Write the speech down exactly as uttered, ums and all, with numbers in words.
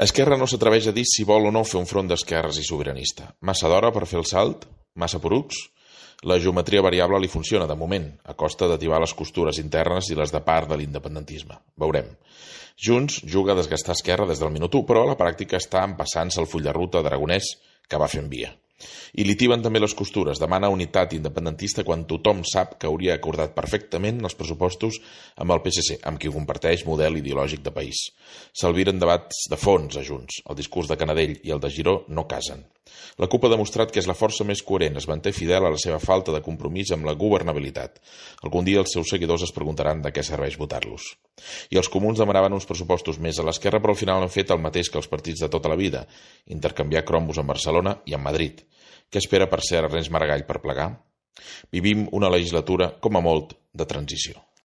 Esquerra no s'atreveix a dir si vol o no fer un front d'esquerres i sobiranista. Massa d'hora per fer el salt? Massa porucs? La geometria variable li funciona, de moment, a costa d'ativar les costures internes i les de part de l'independentisme. Veurem. Junts juga a desgastar Esquerra des del minut u, però a la pràctica està empassant-se el full de ruta d'Aragonès que va fent via. I li tiben també les costures, demana unitat independentista quan tothom sap que hauria acordat perfectament els pressupostos amb el P S C, amb qui comparteix model ideològic de país. S'albiren debats de fons a Junts. El discurs de Canadell i el de Giró no casen. La CUP ha demostrat que és la força més coherent, es manté fidel a la seva falta de compromís amb la governabilitat. Algun dia els seus seguidors es preguntaran de què serveix votar-los. I els comuns demanaven uns pressupostos més a l'esquerra, però al final han fet el mateix que els partits de tota la vida, intercanviar cromos amb Barcelona i amb Madrid. Què espera per ser Ernest Maragall per plegar? Vivim una legislatura, com a molt, de transició.